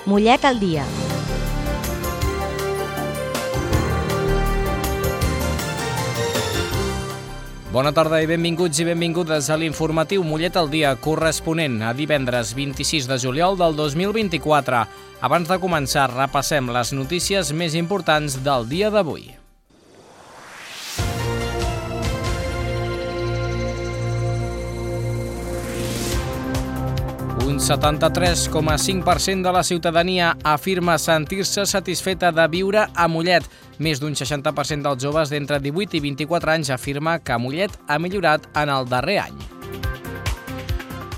Mollet al dia. Bona tarda i benvinguts i benvingudes a l'informatiu Mollet al dia, corresponent a divendres 26 de juliol del 2024. Abans de començar, repassem les notícies més importants del dia d'avui. Un 73,5% de la ciutadania afirma sentir-se satisfeta de viure a Mollet. Més d'un 60% dels joves d'entre 18 i 24 anys afirma que Mollet ha millorat en el darrer any.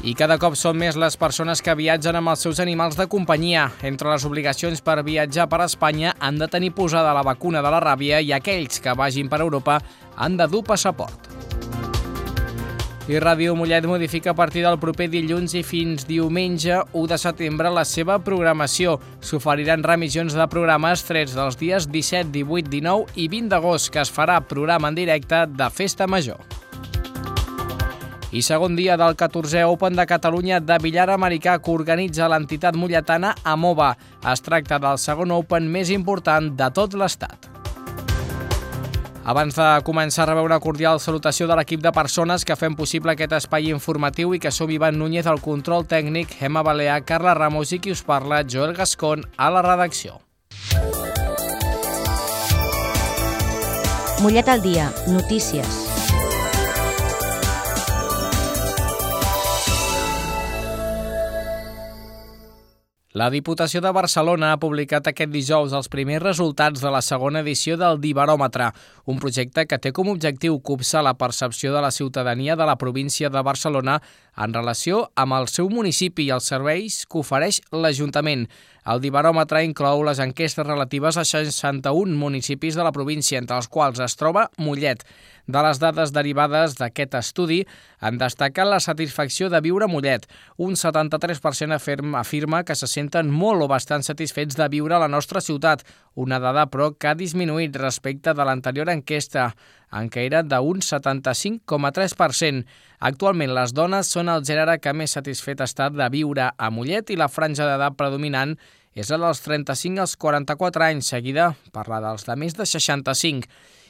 I cada cop són més les persones que viatgen amb els seus animals de companyia. Entre les obligacions per viatjar per Espanya han de tenir posada la vacuna de la ràbia i aquells que vagin per Europa han de dur passaport. I Ràdio Mollet modifica a partir del proper dilluns i fins diumenge 1 de setembre la seva programació. S'oferiran remissions de programes trets dels dies 17, 18, 19 i 20 d'agost, que es farà programa en directe de Festa Major. I segon dia del 14è Open de Catalunya de billar americà que organitza l'entitat molletana Amova. Es tracta del segon Open més important de tot l'estat. Abans de començar, rebeu una cordial salutació de l'equip de persones que fem possible aquest espai informatiu i que som Ivan Núñez al control tècnic, Gemma Balear, Carla Ramos i qui us parla, Joel Gascon, a la redacció. Mollet al dia. Notícies. La Diputació de Barcelona ha publicat aquest dijous els primers resultats de la segona edició del Dibaròmetre, un projecte que té com objectiu copsar la percepció de la ciutadania de la província de Barcelona en relació amb el seu municipi i els serveis que ofereix l'Ajuntament. El Dibaròmetre inclou les enquestes relatives a 61 municipis de la província, entre els quals es troba Mollet. De les dades derivades d'aquest estudi en destaca la satisfacció de viure a Mollet. Un 73% afirma que se senten molt o bastant satisfets de viure a la nostra ciutat, una dada però que ha disminuït respecte de l'anterior enquesta, en què era d'un 75,3%. Actualment les dones són el gènere que més satisfet està de viure a Mollet i la franja d'edat predominant és la dels 35 als 44 anys, seguida per la dels de més de 65.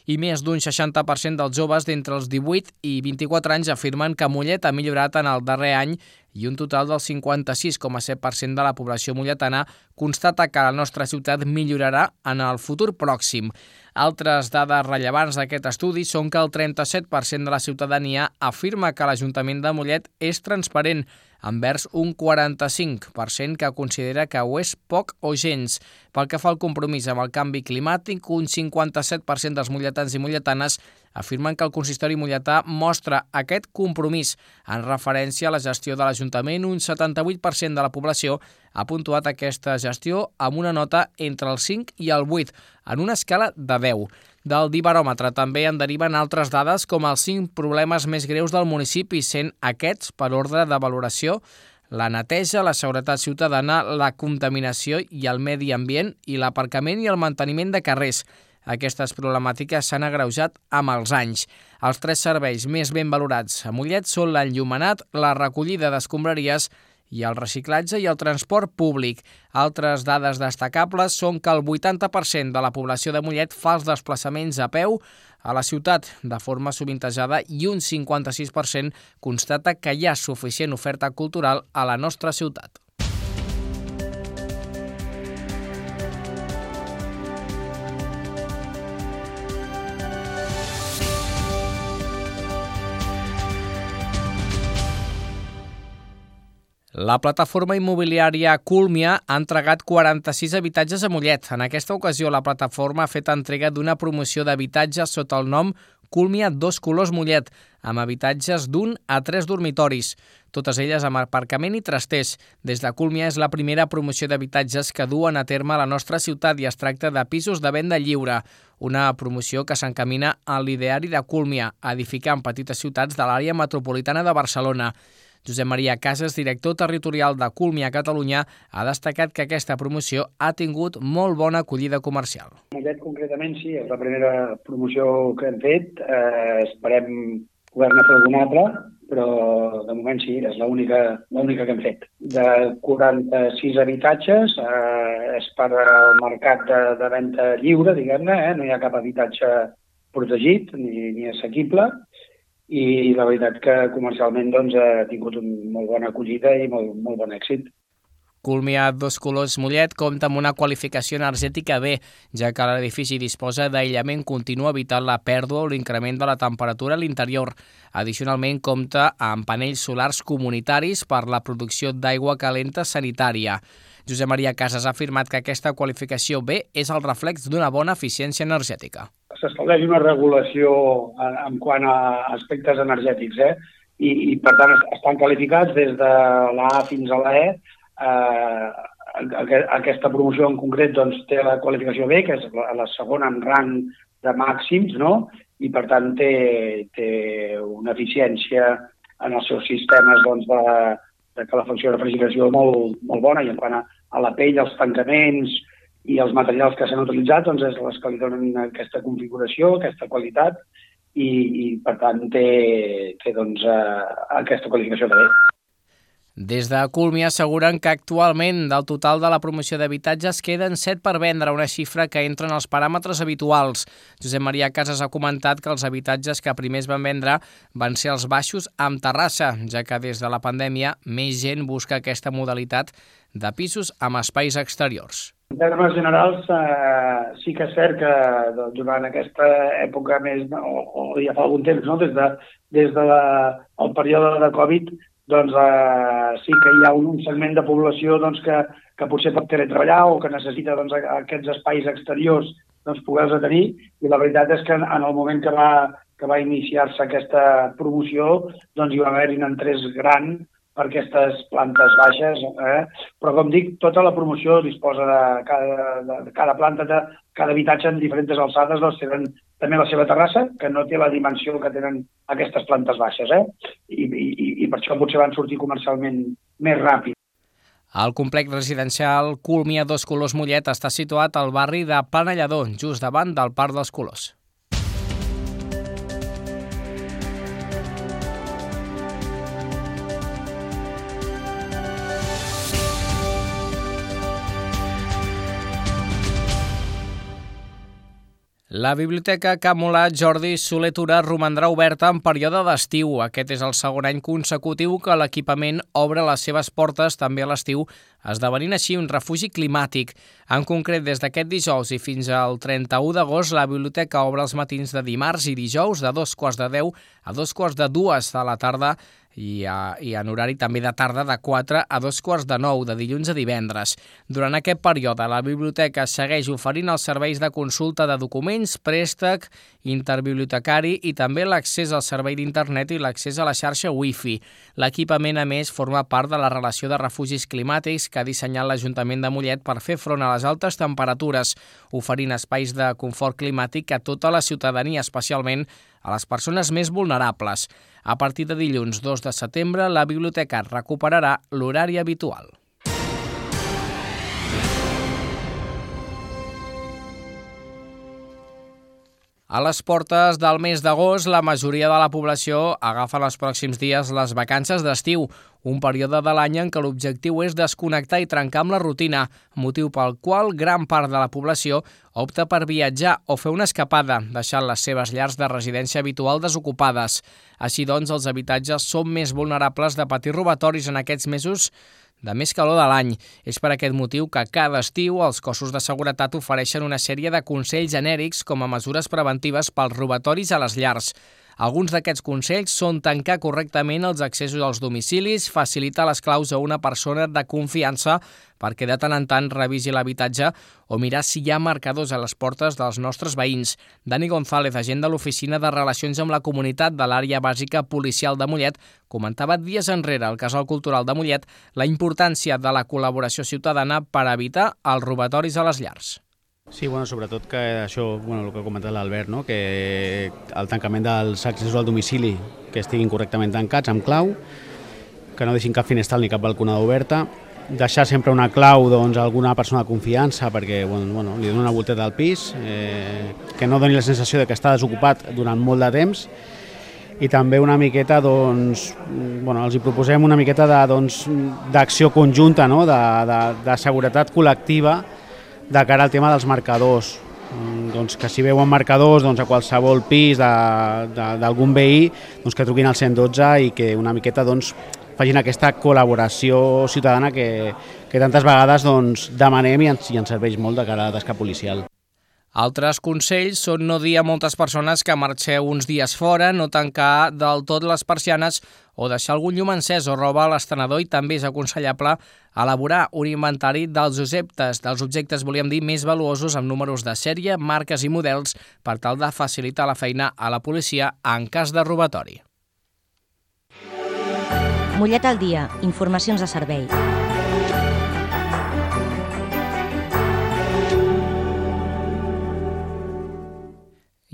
I més d'un 60% dels joves d'entre els 18 i 24 anys afirmen que Mollet ha millorat en el darrer any i un total del 56,7% de la població molletana constata que la nostra ciutat millorarà en el futur pròxim. Altres dades rellevants d'aquest estudi són que el 37% de la ciutadania afirma que l'Ajuntament de Mollet és transparent, envers un 45% que considera que ho és poc o gens. Pel que fa al compromís amb el canvi climàtic, un 57% dels molletans i molletanes afirmen que el consistori molletà mostra aquest compromís. En referència a la gestió de l'Ajuntament, un 78% de la població ha puntuat aquesta gestió amb una nota entre el 5 i el 8, en una escala de 10. Del Dibaròmetre també en deriven altres dades com els 5 problemes més greus del municipi, sent aquests, per ordre de valoració, la neteja, la seguretat ciutadana, la contaminació i el medi ambient i l'aparcament i el manteniment de carrers. Aquestes problemàtiques s'han agreujat amb els anys. Els 3 serveis més ben valorats a Mollet són l'enllumenat, la recollida d'escombraries i el reciclatge i el transport públic. Altres dades destacables són que el 80% de la població de Mollet fa els desplaçaments a peu a la ciutat de forma sovintejada i un 56% constata que hi ha suficient oferta cultural a la nostra ciutat. La plataforma immobiliària Cúlmia ha entregat 46 habitatges a Mollet. En aquesta ocasió, la plataforma ha fet entrega d'una promoció d'habitatges sota el nom Cúlmia 2 Colors Mollet, amb habitatges d'1 a 3 dormitoris, totes elles amb aparcament i trasters. Des de Cúlmia és la primera promoció d'habitatges que duen a terme a la nostra ciutat i es tracta de pisos de venda lliure, una promoció que s'encamina a l'ideari de Cúlmia, a edificar en petites ciutats de l'àrea metropolitana de Barcelona. Josep Maria Casas, director territorial de Cúlmia Catalunya, ha destacat que aquesta promoció ha tingut molt bona acollida comercial. Mollet, concretament, sí, és la primera promoció que hem fet. Esperem poder-ne fer alguna altra però de moment sí, és l'única que hem fet. De 46 habitatges és per al mercat de venda lliure, diguem-ne, no hi ha cap habitatge protegit ni assequible, i la veritat que comercialment doncs, ha tingut una molt bona acollida i molt bon èxit. Culmia Dos Colors Mollet compta amb una qualificació energètica B, ja que l'edifici disposa d'aïllament continu evitant la pèrdua o l'increment de la temperatura a l'interior. Addicionalment, compta amb panells solars comunitaris per la producció d'aigua calenta sanitària. Josep Maria Casas ha afirmat que aquesta qualificació B és el reflex d'una bona eficiència energètica. S'estableix una regulació en quant a aspectes energètics, i per tant estan qualificats des de la A fins a la E. Aquesta promoció en concret doncs, té la qualificació B, que és la segona en rang de màxims, no? I per tant té una eficiència en els seus sistemes doncs, de calefacció i refrigeració molt bona, i en quant a la pell, els tancaments i els materials que s'han utilitzat doncs, és les que li donen aquesta configuració, aquesta qualitat, i per tant té doncs, aquesta qualificació de B. Des de Culmi asseguren que actualment del total de la promoció d'habitatges queden 7 per vendre, una xifra que entra en els paràmetres habituals. Josep Maria Casas ha comentat que els habitatges que primer es van vendre van ser els baixos amb terrassa, ja que des de la pandèmia més gent busca aquesta modalitat de pisos amb espais exteriors. En termes generals, sí que és cert que durant aquesta època més, o ja fa algun temps, no? des del període de Covid, doncs sí que hi ha un segment de població doncs, que potser pot teletreballar o que necessita doncs, aquests espais exteriors doncs, poder-los tenir, i la veritat és que en el moment que va iniciar-se aquesta promoció doncs, hi va haver-hi un interès gran per aquestes plantes baixes, però com dic, tota la promoció disposa de cada planta, de cada habitatge en diferents alçades, doncs tenen també la seva terrassa, que no té la dimensió que tenen aquestes plantes baixes, i per això potser van sortir comercialment més ràpid. El complex residencial Culmia Dos Colors Mollet està situat al barri de Planellador, just davant del Parc dels Colors. La Biblioteca Can Molat Jordi Soler Tura romandrà oberta en període d'estiu. Aquest és el segon any consecutiu que l'equipament obre les seves portes també a l'estiu, esdevenint així un refugi climàtic. En concret, des d'aquest dijous i fins al 31 d'agost, la biblioteca obre els matins de dimarts i dijous de 2:15 a 2:45 de la tarda i en horari també de tarda de 4 a 8:45, de dilluns a divendres. Durant aquest període, la biblioteca segueix oferint els serveis de consulta de documents, préstec, interbibliotecari i també l'accés al servei d'internet i l'accés a la xarxa Wi-Fi. L'equipament, a més, forma part de la relació de refugis climàtics que ha dissenyat l'Ajuntament de Mollet per fer front a les altes temperatures, oferint espais de confort climàtic a tota la ciutadania, especialment a les persones més vulnerables. A partir de dilluns 2 de setembre, la biblioteca recuperarà l'horari habitual. A les portes del mes d'agost, la majoria de la població agafa els pròxims dies les vacances d'estiu, un període de l'any en què l'objectiu és desconnectar i trencar amb la rutina, motiu pel qual gran part de la població opta per viatjar o fer una escapada, deixant les seves llars de residència habitual desocupades. Així doncs, els habitatges són més vulnerables de patir robatoris en aquests mesos de més calor de l'any. És per aquest motiu que cada estiu els cossos de seguretat ofereixen una sèrie de consells genèrics com a mesures preventives pels robatoris a les llars. Alguns d'aquests consells són tancar correctament els accessos als domicilis, facilitar les claus a una persona de confiança perquè de tant en tant revisi l'habitatge o mirar si hi ha marcadors a les portes dels nostres veïns. Dani González, agent de l'Oficina de Relacions amb la Comunitat de l'Àrea Bàsica Policial de Mollet, comentava dies enrere al Casal Cultural de Mollet la importància de la col·laboració ciutadana per evitar els robatoris a les llars. Sí, sobretot que això, el que ha comentat l'Albert, no? Que el tancament dels accessos al domicili que estiguin correctament tancats amb clau, que no deixin cap finestral ni cap balconada oberta, deixar sempre una clau a alguna persona de confiança perquè li doni una volteta al pis, que no doni la sensació de que està desocupat durant molt de temps, i també una miqueta, doncs, els hi proposem una miqueta d'acció conjunta, no? de seguretat col·lectiva de cara al tema dels marcadors. Doncs que si veuen marcadors a qualsevol pis d'algun veí, que truquin al 112 i que una miqueta facin aquesta col·laboració ciutadana que tantes vegades demanem i ens serveix molt de cara a la tasca policial. Altres consells són no dir a moltes persones que marxeu uns dies fora, no tancar del tot les persianes o deixar algun llum encès o roba a l'estenedor, i també és aconsellable elaborar un inventari dels objectes, volíem dir, més valuosos amb números de sèrie, marques i models per tal de facilitar la feina a la policia en cas de robatori. Mollet al dia, informacions de servei.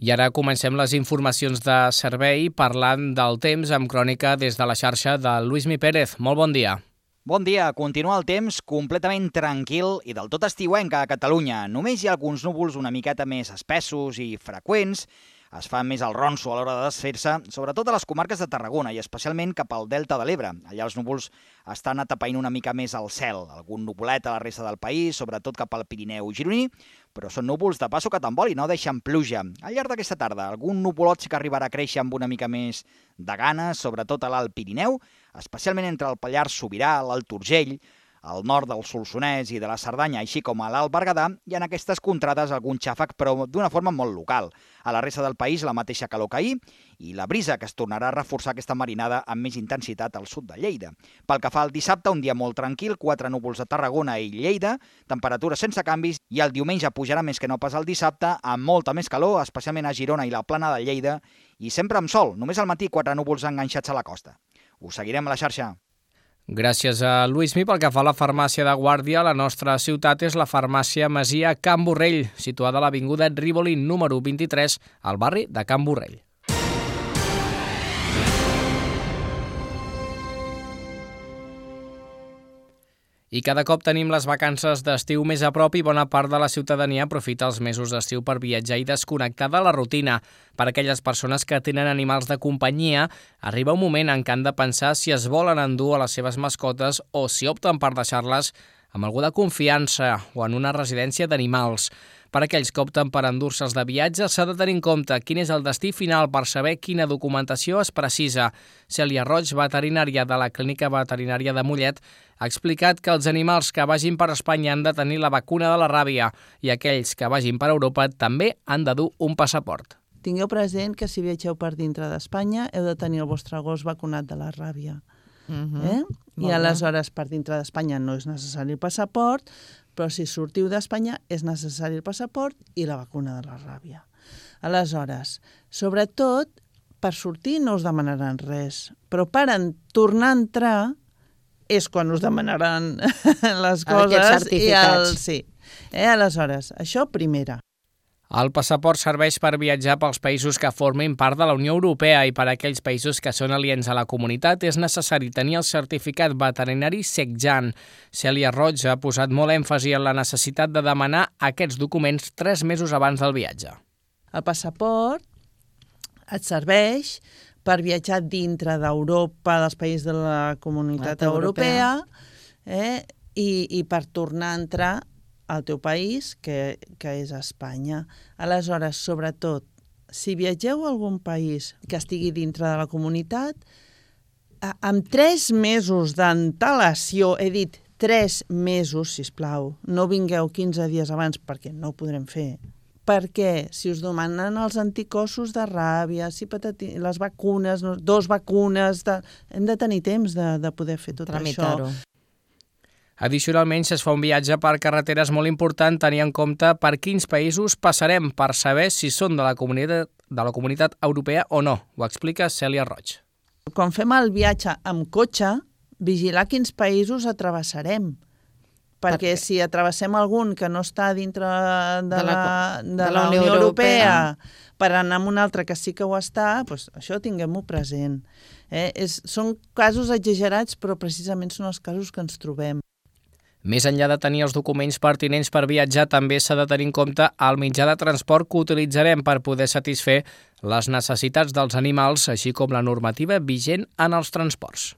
I ara comencem les informacions de servei parlant del temps amb crònica des de la xarxa de Lluís Pérez. Molt bon dia. Bon dia. Continua el temps completament tranquil i del tot estiuenc a Catalunya. Només hi ha alguns núvols una miqueta més espessos i freqüents. Es fa més el ronso a l'hora de desfer-se, sobretot a les comarques de Tarragona i especialment cap al Delta de l'Ebre. Allà els núvols estan atapeint una mica més al cel. Algun nuvolet a la resta del país, sobretot cap al Pirineu gironí, però són núvols de passo que tan vol i no deixen pluja. Al llarg d'aquesta tarda, algun nuvolot sí que arribarà a créixer amb una mica més de ganes, sobretot a l'Alt Pirineu, especialment entre el Pallars Sobirà, l'Alt Urgell, al nord del Solsonès i de la Cerdanya, així com a l'Alt Berguedà, i en aquestes contrades algun xàfec, però d'una forma molt local. A la resta del país la mateixa calor que ahir i la brisa, que es tornarà a reforçar aquesta marinada amb més intensitat al sud de Lleida. Pel que fa al dissabte, un dia molt tranquil, 4 núvols a Tarragona i Lleida, temperatures sense canvis, i el diumenge pujarà més que no pas el dissabte, amb molta més calor, especialment a Girona i la Plana de Lleida, i sempre amb sol, només al matí 4 núvols enganxats a la costa. Us seguirem a la xarxa. Gràcies a Lluís. Pel que fa a la farmàcia de Guàrdia, la nostra ciutat és la farmàcia Masia Can Borrell, situada a l'avinguda Rivoli número 23, al barri de Can Borrell. I cada cop tenim les vacances d'estiu més a prop i bona part de la ciutadania aprofita els mesos d'estiu per viatjar i desconnectar de la rutina. Per a aquelles persones que tenen animals de companyia, arriba un moment en què han de pensar si es volen endur a les seves mascotes o si opten per deixar-les amb algú de confiança o en una residència d'animals. Per a aquells que opten per endur-se'ls de viatge, s'ha de tenir en compte quin és el destí final per saber quina documentació es precisa. Cèlia Roig, veterinària de la Clínica Veterinària de Mollet, ha explicat que els animals que vagin per Espanya han de tenir la vacuna de la ràbia i aquells que vagin per Europa també han de dur un passaport. Tingueu present que si viatgeu per dintre d'Espanya heu de tenir el vostre gos vacunat de la ràbia. I aleshores per dintre d'Espanya no és necessari el passaport, però si sortiu d'Espanya és necessari el passaport i la vacuna de la ràbia. Aleshores, sobretot, per sortir no us demanaran res, però per tornar a entrar és quan us demanaran les coses. Aquests certificats. Sí. Aleshores, això primera. El passaport serveix per viatjar pels països que formin part de la Unió Europea i per a aquells països que són aliens a la comunitat és necessari tenir el certificat veterinari SECJAN. Cèlia Roig ha posat molt èmfasi en la necessitat de demanar aquests documents 3 mesos abans del viatge. El passaport et serveix per viatjar dintre d'Europa, dels països de la comunitat europea, i per tornar a entrar al teu país, que és Espanya. Aleshores, sobretot, si viatgeu a algun país que estigui dintre de la comunitat, amb 3 mesos d'antelació, he dit 3 mesos, sisplau, no vingueu 15 dies abans perquè no ho podrem fer, perquè si us demanen els anticossos de ràbia, les vacunes, 2 vacunes, hem de tenir temps de poder fer tot això. Addicionalment, si es fa un viatge per carretera és molt important tenir en compte per quins països passarem per saber si són de la comunitat europea o no. Ho explica Cèlia Roig. Quan fem el viatge amb cotxe, vigilar quins països atravessarem. Perquè si atravessem algun que no està dintre de la Unió Europea per anar a un altre que sí que ho està, doncs això tinguem-ho present. Són casos exagerats, però precisament són els casos que ens trobem. Més enllà de tenir els documents pertinents per viatjar, també s'ha de tenir en compte el mitjà de transport que utilitzarem per poder satisfer les necessitats dels animals, així com la normativa vigent en els transports.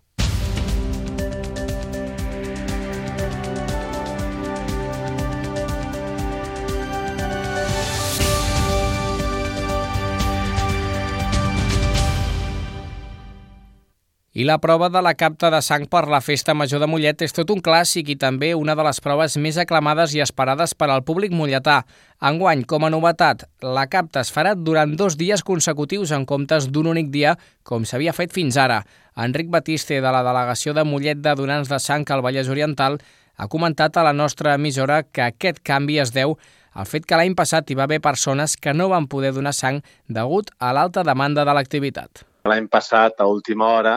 I la prova de la capta de sang per la Festa Major de Mollet és tot un clàssic i també una de les proves més aclamades i esperades per al públic molletà. Enguany, com a novetat, la capta es farà durant 2 dies consecutius en comptes d'un únic dia, com s'havia fet fins ara. Enric Batiste, de la delegació de Mollet de Donants de Sang al Vallès Oriental, ha comentat a la nostra emissora que aquest canvi es deu al fet que l'any passat hi va haver persones que no van poder donar sang degut a l'alta demanda de l'activitat. L'any passat, a última hora,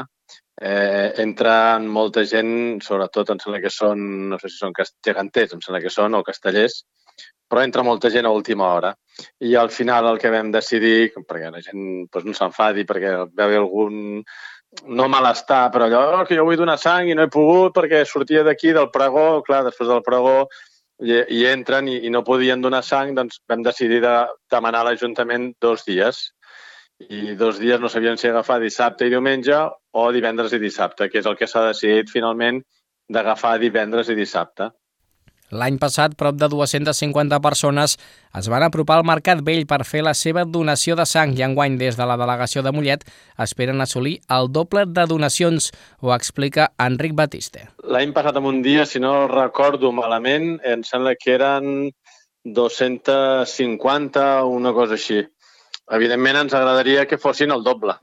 entra molta gent, sobretot em sembla que són, no sé si són geganters, em sembla que són, o castellers, però entra molta gent a última hora. I al final el que vam decidir, perquè la gent no s'enfadi, perquè va haver algun no malestar, però allò que jo vull donar sang i no he pogut perquè sortia d'aquí del pregó, clar, després del pregó hi entren i no podien donar sang, doncs vam decidir de demanar a l'Ajuntament 2 dies. I 2 dies no sabien si agafar dissabte i diumenge o divendres i dissabte, que és el que s'ha decidit finalment d'agafar divendres i dissabte. L'any passat, prop de 250 persones es van apropar al Mercat Vell per fer la seva donació de sang i enguany des de la delegació de Mollet esperen assolir el doble de donacions, ho explica Enric Batiste. L'any passat en un dia, si no recordo malament, em sembla que eren 250 o una cosa així. Evidentment ens agradaria que fossin el doble.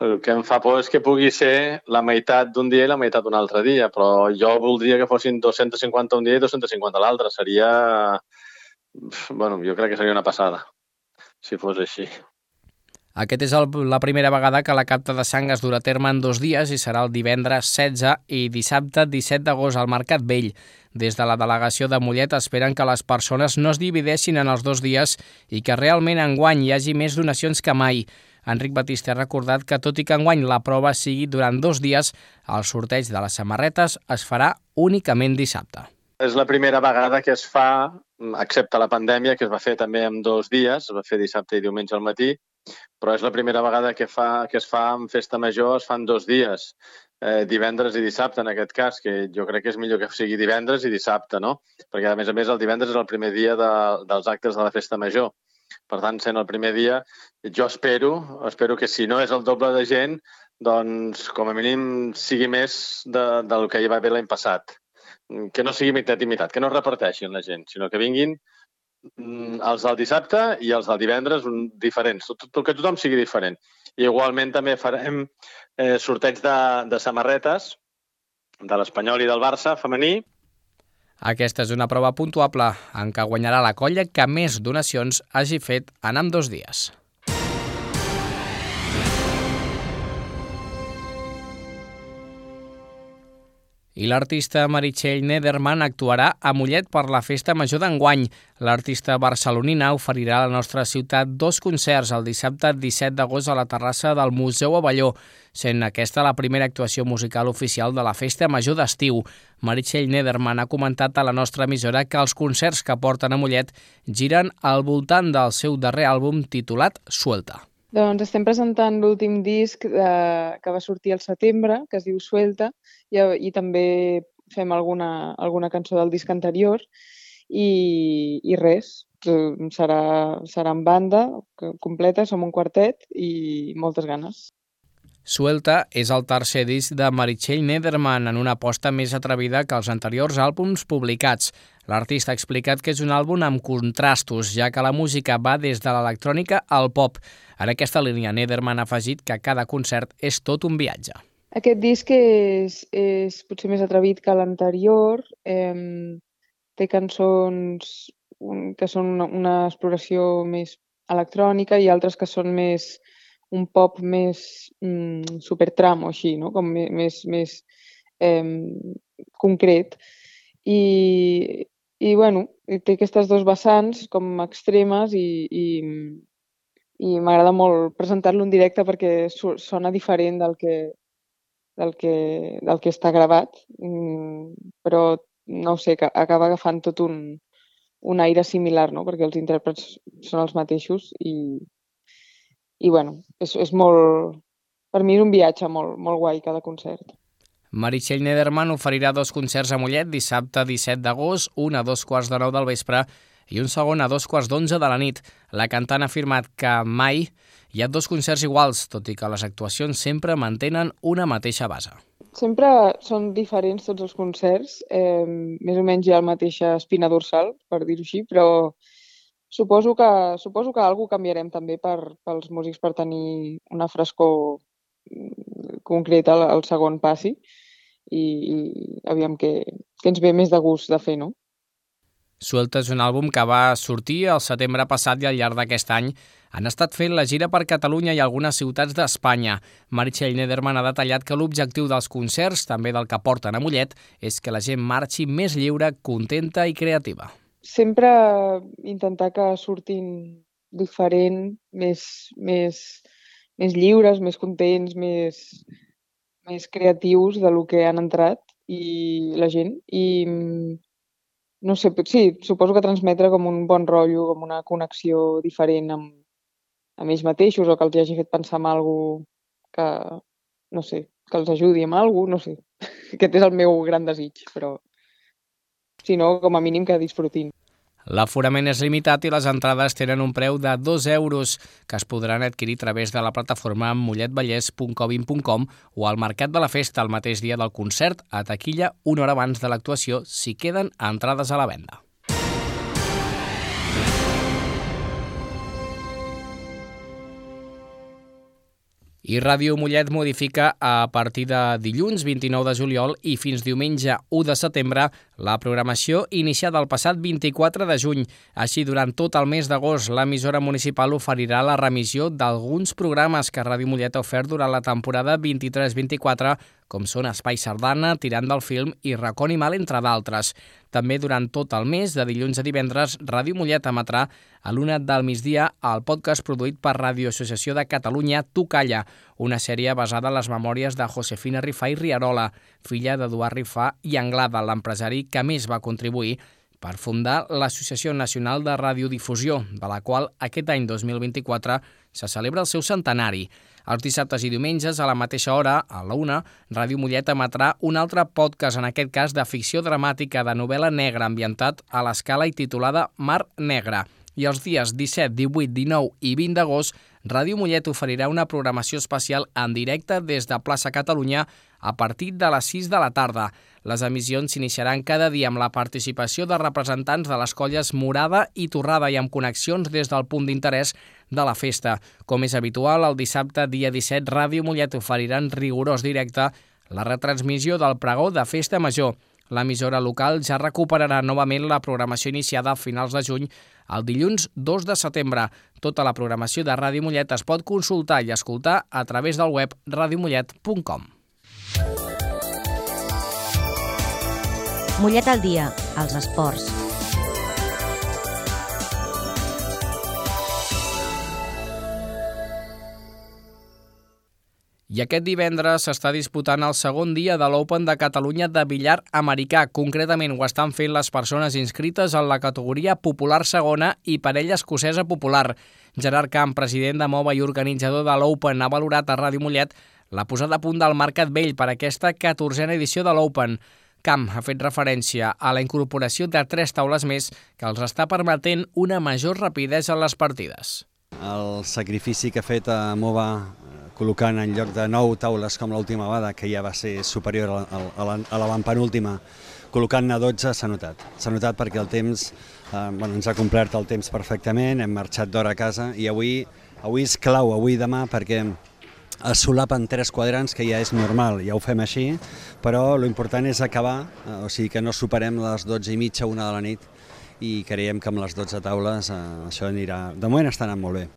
El que em fa por és que pugui ser la meitat d'un dia i la meitat d'un altre dia, però jo voldria que fossin 250 un dia i 250 l'altre. Seria... jo crec que seria una passada, si fos així. Aquest és la primera vegada que la capta de sang es durà a terme en 2 dies i serà el divendres 16 i dissabte 17 d'agost al Mercat Vell. Des de la delegació de Mollet esperen que les persones no es divideixin en els 2 dies i que realment enguany hi hagi més donacions que mai. Enric Batiste ha recordat que tot i que enguany la prova sigui durant 2 dies, el sorteig de les samarretes es farà únicament dissabte. És la primera vegada que es fa, excepte la pandèmia, que es va fer també en 2 dies, es va fer dissabte i diumenge al matí, però és la primera vegada que es fa en Festa Major, es fan 2 dies, divendres i dissabte en aquest cas, que jo crec que és millor que sigui divendres i dissabte, no? Perquè a més el divendres és el primer dia dels actes de la Festa Major. Per tant, sent el primer dia, jo espero que si no és el doble de gent, doncs com a mínim sigui més del que hi va haver l'any passat. Que no sigui meitat i meitat, que no es reparteixin la gent, sinó que vinguin els del dissabte i els del divendres diferents, que tothom sigui diferent. I igualment també farem sorteig de samarretes de l'Espanyol i del Barça femení. Aquesta és una prova puntuable en què guanyarà la colla que més donacions hagi fet en ambdós dies. I l'artista Meritxell Nederman actuarà a Mollet per la Festa Major d'enguany. L'artista barcelonina oferirà a la nostra ciutat 2 concerts el dissabte 17 d'agost a la terrassa del Museu Abelló, sent aquesta la primera actuació musical oficial de la Festa Major d'estiu. Meritxell Nederman ha comentat a la nostra emissora que els concerts que porten a Mollet giren al voltant del seu darrer àlbum titulat Suelta. Doncs estem presentant l'últim disc que va sortir al setembre, que es diu Suelta, i també fem alguna cançó del disc anterior i res, serà en banda completa, som un quartet i moltes ganes. Suelta és el tercer disc de Meritxell Nederman en una aposta més atrevida que els anteriors àlbums publicats. L'artista ha explicat que és un àlbum amb contrastos, ja que la música va des de l'electrònica al pop. En aquesta línia, Nederman ha afegit que cada concert és tot un viatge. Aquest disc és potser més atrevit que l'anterior. Té cançons que són una exploració més electrònica i altres que són més un pop més supertram o així, no? Com més concret. I bueno, té aquestes 2 vessants com extremes i m'agrada molt presentar-lo en directe perquè sona diferent del que està gravat, però no sé, que acaba agafant tot un aire similar, no? Perquè els intèrprets són els mateixos i bueno, és molt... Per mi és un viatge molt, molt guai cada concert. Meritxell Nederman oferirà 2 concerts a Mollet dissabte 17 d'agost, un a 2:15 del vespre i un segon a 2:11 de la nit. La cantant ha afirmat que mai hi ha 2 concerts iguals, tot i que les actuacions sempre mantenen una mateixa base. Sempre són diferents tots els concerts, més o menys hi ha la mateixa espina dorsal, per dir-ho així, però suposo que alguna cosa canviarem també pels músics per tenir una frescor concreta al segon passi i aviam què ens ve més de gust de fer, no? Suelta és un àlbum que va sortir el setembre passat i al llarg d'aquest any han estat fent la gira per Catalunya i algunes ciutats d'Espanya. Meritxell Nederman ha detallat que l'objectiu dels concerts, també del que porten a Mollet, és que la gent marxi més lliure, contenta i creativa. Sempre intentar que surtin diferent, més lliures, més contents, més creatius de lo que han entrat i la gent. I no sé, sí, suposo que transmetre com un bon rotllo, com una connexió diferent amb ells mateixos o que els hagi fet pensar en alguna cosa que, no sé, que els ajudi amb alguna cosa, no sé. Aquest és el meu gran desig, però si no, com a mínim que disfrutin. L'aforament és limitat i les entrades tenen un preu de 2 euros que es podran adquirir a través de la plataforma molletvallès.covin.com o al Mercat de la Festa el mateix dia del concert a taquilla una hora abans de l'actuació si queden entrades a la venda. I Ràdio Mollet modifica a partir de dilluns 29 de juliol i fins diumenge 1 de setembre la programació iniciada el passat 24 de juny. Així, durant tot el mes d'agost, l'emissora municipal oferirà la remissió d'alguns programes que Ràdio Mollet ha ofert durant la temporada 23-24, com són Espai Sardana, Tirant del Film i Racó Animal, entre d'altres. També durant tot el mes, de dilluns a divendres, Ràdio Mollet emetrà a l'1 del migdia el podcast produït per Ràdio Associació de Catalunya Tu Calla, una sèrie basada en les memòries de Josefina Rifà i Rierola, filla d'Eduard Rifà i Anglada, l'empresari que més va contribuir per fundar l'Associació Nacional de Radiodifusió, de la qual aquest any 2024 se celebra el seu centenari. Els dissabtes i diumenges, a la mateixa hora, a la 1, Ràdio Mollet emetrà un altre podcast, en aquest cas de ficció dramàtica de novel·la negra ambientat a l'Escala i titulada Mar Negra. I els dies 17, 18, 19 i 20 d'agost, Ràdio Mollet oferirà una programació especial en directe des de Plaça Catalunya a partir de les 6 de la tarda. Les emissions s'iniciaran cada dia amb la participació de representants de les colles Morada i Torrada i amb connexions des del punt d'interès de la festa. Com és habitual, el dissabte, dia 17, Ràdio Mollet oferirà en rigorós directe la retransmissió del pregó de Festa Major. L'emissora local ja recuperarà novament la programació iniciada a finals de juny el dilluns 2 de setembre. Tota la programació de Ràdio Mollet es pot consultar i escoltar a través del web radiomollet.com. Mollet al dia, als esports. I aquest divendres s'està disputant el segon dia de l'Open de Catalunya de billar americà. Concretament ho estan fent les persones inscrites en la categoria popular segona i parella escocesa popular. Gerard Camp, president de MOVA i organitzador de l'Open, ha valorat a Ràdio Mollet la posada a punt del Mercat Vell per aquesta 14a edició de l'Open. Camp ha fet referència a la incorporació de 3 taules més que els està permetent una major rapidesa en les partides. El sacrifici que ha fet a MOVA col·locant en lloc de 9 taules com l'última vegada, que ja va ser superior a l'avantpenúltima, col·locant-ne 12 s'ha notat. S'ha notat perquè el temps, ens ha complert el temps perfectament, hem marxat d'hora a casa i avui és clau, avui i demà, perquè es solapen 3 quadrants, que ja és normal, ja ho fem així, però l'important és acabar, o sigui que no superem les 12:30, 1 de la nit, i creiem que amb les 12 taules això anirà, de moment està anant molt bé.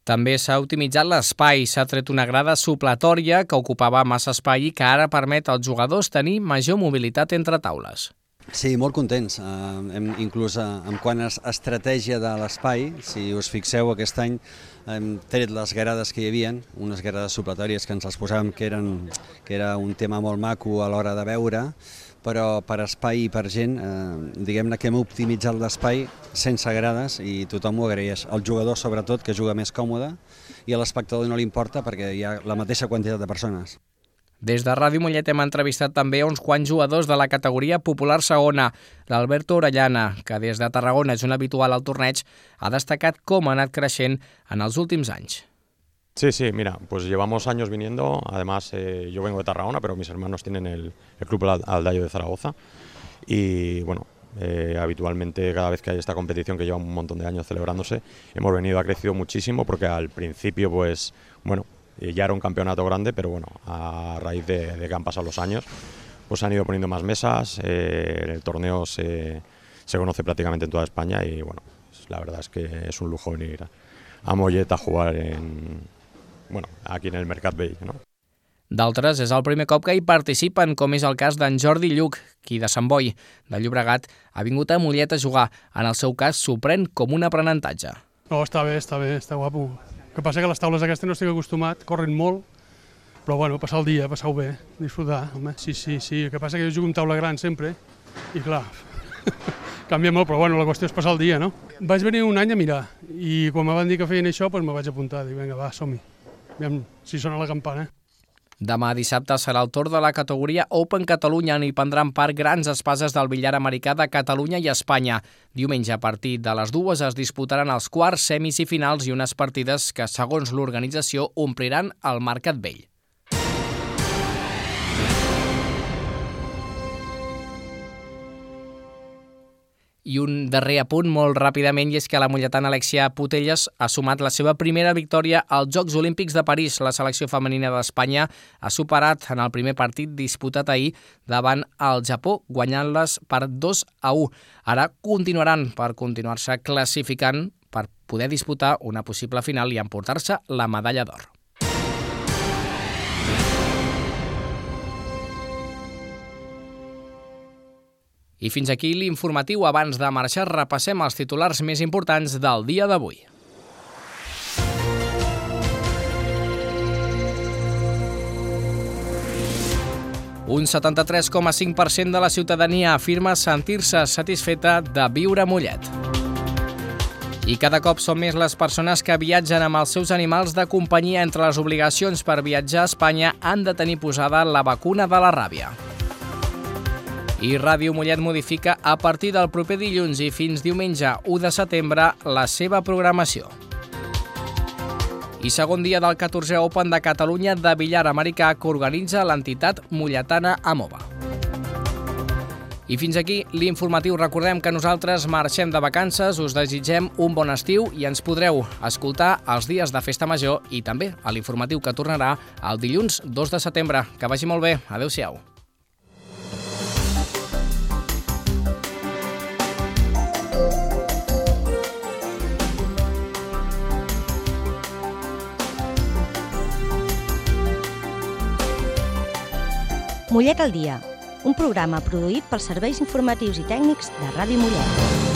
També s'ha optimitzat l'espai, s'ha tret una grada supletòria que ocupava massa espai i que ara permet als jugadors tenir major mobilitat entre taules. Sí, molt contents, inclús en quant a estratègia de l'espai, si us fixeu aquest any hem tret les grades que hi havia, unes grades supletòries que ens les posàvem que era un tema molt maco a l'hora de veure, però per espai i per gent, diguem-ne que hem optimitzat l'espai sense grades i tothom ho agraeix. El jugador, sobretot, que juga més còmode, i a l'espectador no li importa perquè hi ha la mateixa quantitat de persones. Des de Ràdio Mollet hem entrevistat també uns quants jugadors de la categoria popular segona. L'Alberto Orellana, que des de Tarragona és un habitual al torneig, ha destacat com ha anat creixent en els últims anys. Sí, mira, pues llevamos años viniendo, además yo vengo de Tarragona, pero mis hermanos tienen el Club Aldayo de Zaragoza y bueno, habitualmente cada vez que hay esta competición que lleva un montón de años celebrándose, hemos venido, ha crecido muchísimo porque al principio pues bueno, ya era un campeonato grande, pero bueno, a raíz de que han pasado los años, pues han ido poniendo más mesas, el torneo se conoce prácticamente en toda España y bueno, la verdad es que es un lujo venir a Mollet a jugar aquí en el Mercat Vell, no? D'altres, és el primer cop que hi participen, com és el cas d'en Jordi Lluc, qui de Sant Boi, de Llobregat, ha vingut a Mollet a jugar. En el seu cas, s'ho pren com un aprenentatge. No, està bé, està guapo. El que passa que les taules aquestes no estic acostumat, corren molt, però bueno, passar el dia, passar-ho bé, disfrutar, home, sí. El que passa que jo jugo amb taula gran sempre, i clar, canvia molt, però bueno, la qüestió és passar el dia, no? Vaig venir un any a mirar, i quan me van dir que feien això, doncs me vaig apuntar, dic, vinga, va, som-hi. Aviam si sona la campana. Demà dissabte serà el torn de la categoria Open Catalunya, on hi prendran part grans espases del billar americà de Catalunya i Espanya. Diumenge, a partir de les 2, es disputaran els quarts, semis i finals i unes partides que, segons l'organització, ompliran el Mercat Vell. I un darrer apunt molt ràpidament, i és que la molletana Alexia Putellas ha sumat la seva primera victòria als Jocs Olímpics de París. La selecció femenina d'Espanya ha superat en el primer partit disputat ahir davant el Japó, guanyant-les per 2-1. Ara continuaran per continuar-se classificant per poder disputar una possible final i emportar-se la medalla d'or. I fins aquí l'informatiu. Abans de marxar, repassem els titulars més importants del dia d'avui. Un 73,5% de la ciutadania afirma sentir-se satisfeta de viure a Mollet. I cada cop són més les persones que viatgen amb els seus animals de companyia. Entre les obligacions per viatjar a Espanya han de tenir posada la vacuna de la ràbia. I Ràdio Mollet modifica a partir del proper dilluns i fins diumenge 1 de setembre la seva programació. I segon dia del 14è Open de Catalunya de billar americà que organitza l'entitat molletana Amova. I fins aquí l'informatiu. Recordem que nosaltres marxem de vacances, us desitgem un bon estiu i ens podreu escoltar els dies de Festa Major i també a l'informatiu que tornarà el dilluns 2 de setembre. Que vagi molt bé. Adéu-siau. Mollet al dia, un programa produït pels serveis informatius i tècnics de Ràdio Mollet.